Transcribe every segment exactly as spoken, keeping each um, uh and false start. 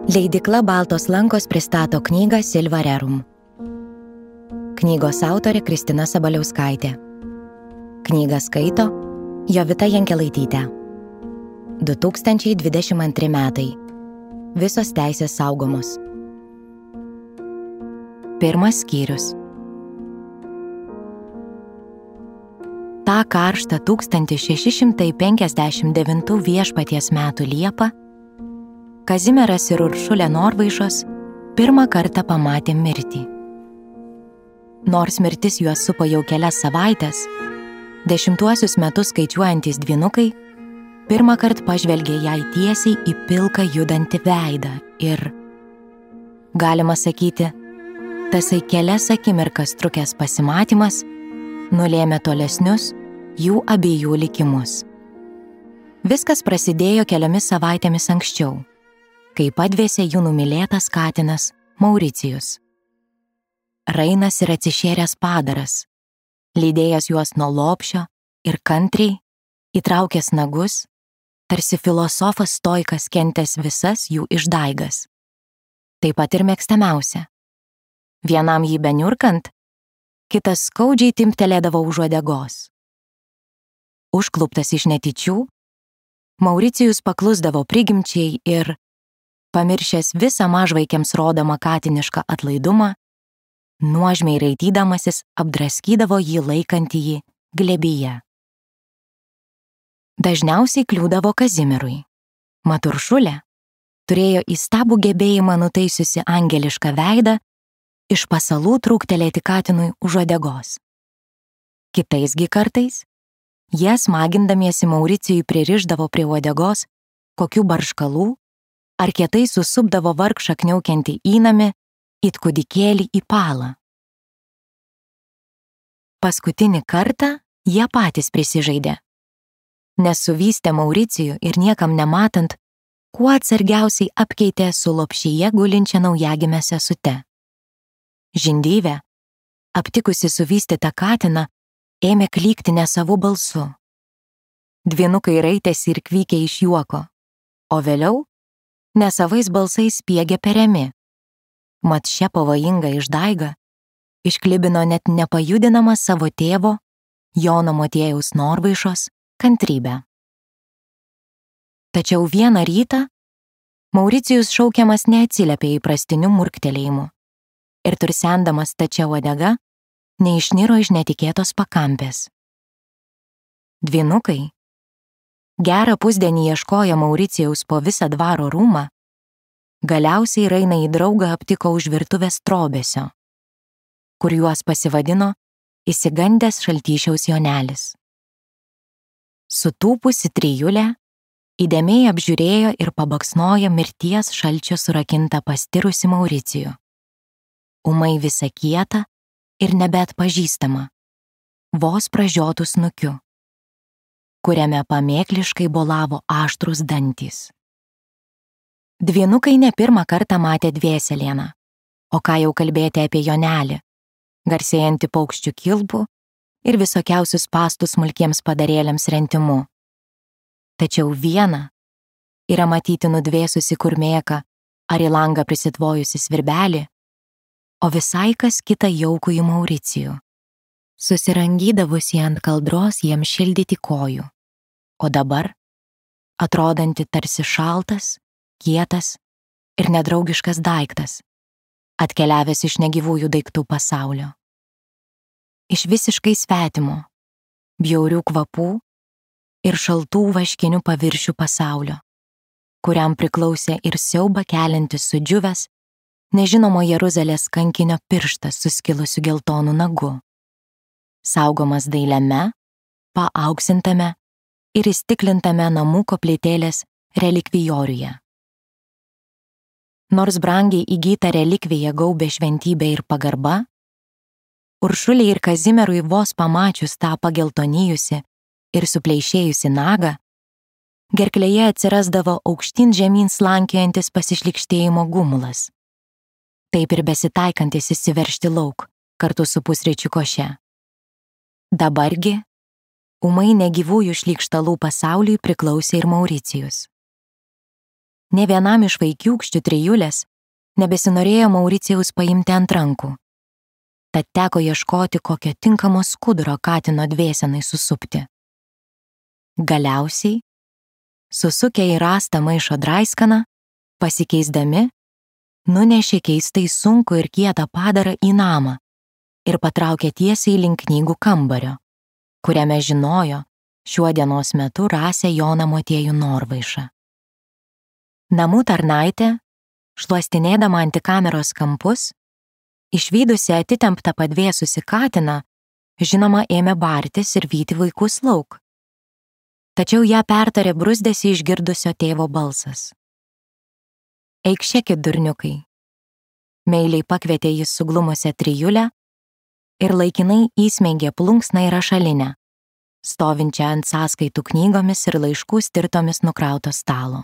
Leidykla Baltos lankos pristato knygą Silva Rerum. Knygos autorė Kristina Sabaliauskaitė. Knygą skaito Jovita Jankelaitytė. du tūkstančiai dvidešimt antri metai. Visos teisės saugomos. Pirmas skyrius. Ta karštą tūkstantis šeši šimtai penkiasdešimt devintų viešpaties metų Liepą Kazimieras ir Uršulė Norvaišos pirmą kartą pamatė mirtį. Nors mirtis juos supo jau kelias savaitės, dešimtuosius metus skaičiuojantys dvynukai pirmą kartą pažvelgė jai tiesiai į pilką judantį veidą ir, galima sakyti, tasai kelias akimirkas trukęs pasimatymas nulėmė tolesnius jų abiejų likimus. Viskas prasidėjo keliomis savaitėmis anksčiau, kai padvėsė jų numylėtas katinas Mauricijus. Rainas ir atsišėręs padaras, lydėjęs juos nuo lopšio ir kantriai, įtraukęs nagus, tarsi filosofas stoikas kentęs visas jų išdaigas. Taip pat ir mėgstamiausia. Vienam jį beniurkant, kitas skaudžiai timptelėdavo už uodegos. Užkluptas iš netyčių, Mauricijus paklusdavo prigimčiai ir, pamiršęs visą mažvaikiams rodomą katinišką atlaidumą, nuožmiai raitydamasis apdraskydavo jį laikantįjį glėbyje. Dažniausiai kliūdavo Kazimierui. Mat Uršulė turėjo įstabų gebėjimą nutaisiusi angelišką veidą iš pasalų trūktelėti katinui už uodegos. Kitaisgi kartais jie smagindamiesi Mauricijui pririšdavo prie uodegos kokių barškalų ar kietai susupdavo vargšą kniaukiantį įnamį it kūdikėlį į palą. Paskutinį kartą jie patys prisižaidė, nes suvystė Mauricijų ir niekam nematant, kuo atsargiausiai apkeitė su lopšyje gulinčia naujagime sesute. Žindyvė, aptikusi suvystytą katiną, ėmė klykti nesavų balsu. Dvynukai raitėsi ir kvykė iš juoko, o vėliau nesavais balsais spiegė periami. Mat šią pavojingą išdaigą išklibino net nepajudinamą savo tėvo, Jono Motiejaus Norvaišos, kantrybę. Tačiau vieną rytą Mauricijus šaukiamas neatsiliepė įprastiniu murktelėjimu ir tursendamas stačia uodega neišniro iš netikėtos pakampės. Dvynukai gerą pusdienį ieškojo Mauricijaus po visą dvaro rūmą, galiausiai Rainą į draugą aptiko už virtuvės trobesio, kur juos pasivadino išsigandęs Šaltyšiaus Jonelis. Sutūpusi trijulė įdėmiai apžiūrėjo ir pabaksnojo mirties šalčio surakintą pastirusi Mauricijų. Ūmai visa kieta ir nebeatpažįstama, vos pražiotų snukiu, kuriame pamėkliškai bolavo aštrus dantys. Dvynukai ne pirmą kartą matė dvėselieną, o ką jau kalbėti apie Jonelį, garsėjantį paukščių kilpų ir visokiausius spąstus smulkiems padarėliams rentimu. Tačiau viena yra matyti nudvėsusi kurmėką ar į langą prisitvojusi svirbelį, o visai kas kita jaukų į Mauricijų, susirangydavusi ant kaldros jiems šildyti kojų, o dabar atrodanti tarsi šaltas, kietas ir nedraugiškas daiktas, atkeliavęs iš negyvųjų daiktų pasaulio. Iš visiškai svetimo, bjaurių kvapų ir šaltų vaškinių paviršių pasaulio, kuriam priklausė ir siaubą keliantis sudžiuvęs, nežinomo Jeruzalės kankinio pirštas suskilusiu geltonu nagu, saugomas dailiame, paaukštintame ir įstiklintame namų koplytėlės relikvijoriuje. Nors brangiai įgyta relikvija gaubė šventybė ir pagarba, Uršuliai ir Kazimierui vos pamačius tą pageltonijusi ir supleišėjusi nagą, gerklėje atsirasdavo aukštyn žemyn slankiojantis pasišlykštėjimo gumulas, taip ir besitaikantis įsiveržti lauk kartu su pusryčių koše. Dabargi, ūmai negyvųjų šlykštalų pasauliui priklausė ir Mauricijus. Ne vienam iš vaikiūkščių trijulės nebesinorėjo Mauricijaus paimti ant rankų. Tad teko ieškoti kokio tinkamo skuduro katino dvėsenai susupti. Galiausiai, susukę į rastą maišo draiskaną, pasikeisdami, nunešė keistai sunku ir kietą padarą į namą ir patraukė tiesiai link knygų kambario, kuriame žinojo šiuo dienos metu rasę Joną Motiejų Norvaišą. Namų tarnaitė, šluostinėdama antikameros kampus, išvydusi atitemptą padvėsusi katiną, žinoma ėmė bartis ir vyti vaikus lauk. Tačiau ją pertarė bruzdėsi išgirdusio tėvo balsas. Eikšėkit, durniukai. Meiliai pakvietė jis suglumusią trijulę ir laikinai įsmeigė plunksną į rašalinę, stovinčią ant sąskaitų knygomis ir laiškų stirtomis nukrauto stalo.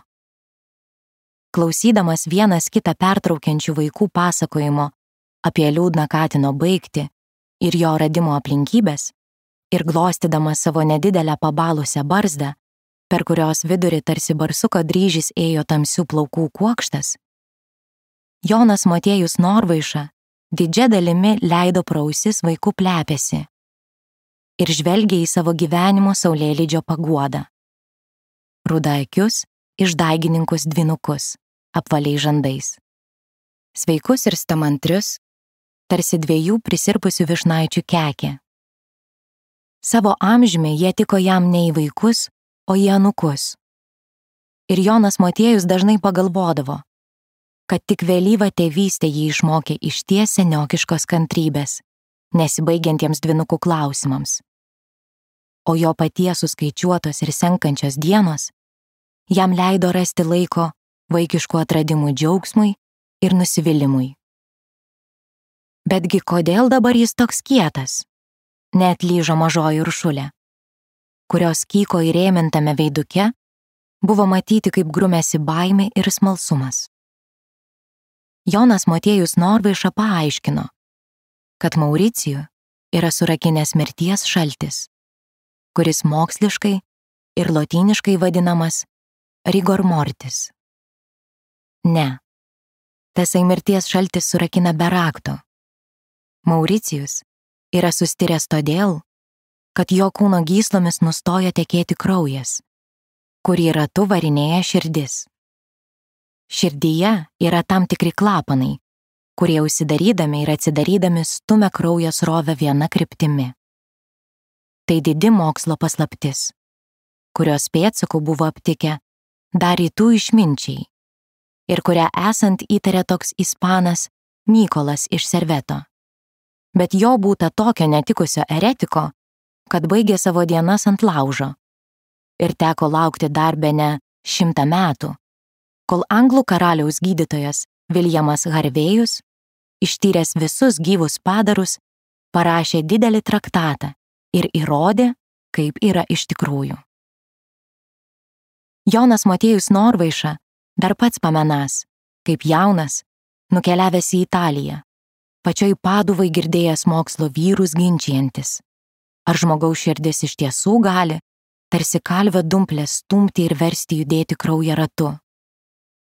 Klausydamas vienas kitą pertraukiančių vaikų pasakojimo apie liūdną katino baigtį ir jo radimo aplinkybės ir glostydamas savo nedidelę pabalusią barzdą, per kurios vidurį tarsi barsuko dryžis ėjo tamsių plaukų kuokštas, Jonas Motiejus Norvaiša didžia dalimi leido pro ausis vaikų plepėsi ir žvelgė į savo gyvenimo saulėlydžio paguodą. Rudaakius, išdaigininkus dvynukus, apvaliai žandais. Sveikus ir stamantrius, tarsi dviejų prisirpusių višnaičių kekė. Savo amžiumi jie tiko jam ne į vaikus, o į anūkus. Ir Jonas Motiejus dažnai pagalvodavo, kad tik vėlyva tėvystė jį išmokė išties seniokiškos kantrybės, nesibaigiantiems dvynukų klausimams. O jo paties suskaičiuotos ir senkančios dienos jam leido rasti laiko vaikiškų atradimų džiaugsmui ir nusivylimui. Betgi kodėl dabar jis toks kietas? Neatlyžo mažoji Uršulė, kurios kyko įrėmintame veiduke buvo matyti, kaip grumėsi baimė ir smalsumas. Jonas Motiejus Norvaiša paaiškino, kad Mauricijų yra surakinęs mirties šaltis, kuris moksliškai ir lotyniškai vadinamas rigor mortis. Ne, tasai mirties šaltis surakina be rakto. Mauricijus yra sustiręs todėl, kad jo kūno gyslomis nustojo tekėti kraujas, kurį ratu varinėja širdis. Širdyje yra tam tikri klapanai, kurie užsidarydami ir atsidarydami stumia kraujo srovę viena kryptimi. Tai didi mokslo paslaptis, kurios pėdsakų buvo aptikę dar rytų išminčiai ir kurią esant įtarė toks ispanas Mykolas iš Serveto. Bet jo būta tokio netikusio eretiko, kad baigė savo dienas ant laužo ir teko laukti dar bene šimtą metų, kol anglų karaliaus gydytojas Viljamas Harvėjus, ištyręs visus gyvus padarus, parašė didelį traktatą ir įrodė, kaip yra iš tikrųjų. Jonas Motiejus Norvaiša dar pats pamenas, kaip jaunas, nukeliavęs į Italiją, pačioj Paduvai girdėjęs mokslo vyrus ginčijantis, ar žmogaus širdis iš tiesų gali, tarsi kalvio dumplės stumti ir versti judėti kraują ratu.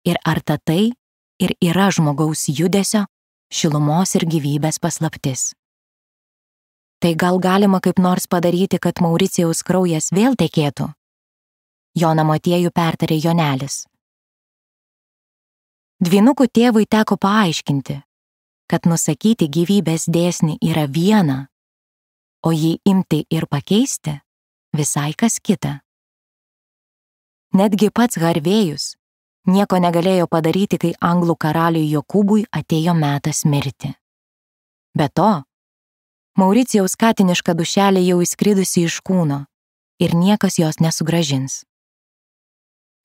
Ir ar ta tai ir yra žmogaus judesio, šilumos ir gyvybės paslaptis. Tai gal galima kaip nors padaryti, kad Mauricijaus kraujas vėl tekėtų? Joną Motiejų pertarė Jonelis. Dvynukų tėvui teko paaiškinti, kad nusakyti gyvybės dėsnį yra viena, o jį imti ir pakeisti visai kas kita. Netgi pats Harvėjus nieko negalėjo padaryti, kai anglų karaliui Jokūbui atėjo metas mirti. Be to, Mauricijaus katiniška dušelė jau įskridusi iš kūno ir niekas jos nesugrąžins.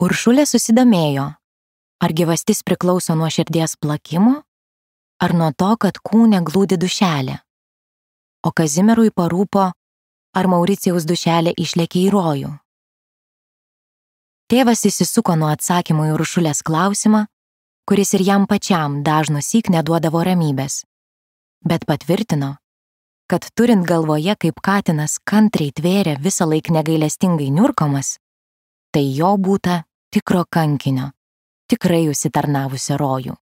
Uršulė susidomėjo, ar gyvastis priklauso nuo širdies plakimo, ar nuo to, kad kūne glūdi dušelė. O Kazimierui parūpo, ar Mauricijaus dušelė išlėkė į rojų. Tėvas įsisuko nuo atsakymų į Uršulės klausimą, kuris ir jam pačiam dažnusyk neduodavo ramybės, bet patvirtino, kad turint galvoje, kaip katinas kantriai tvėrė visą laik negailestingai niurkomas, tai jo būta tikro kankinio, tikrai užsitarnavusią rojų.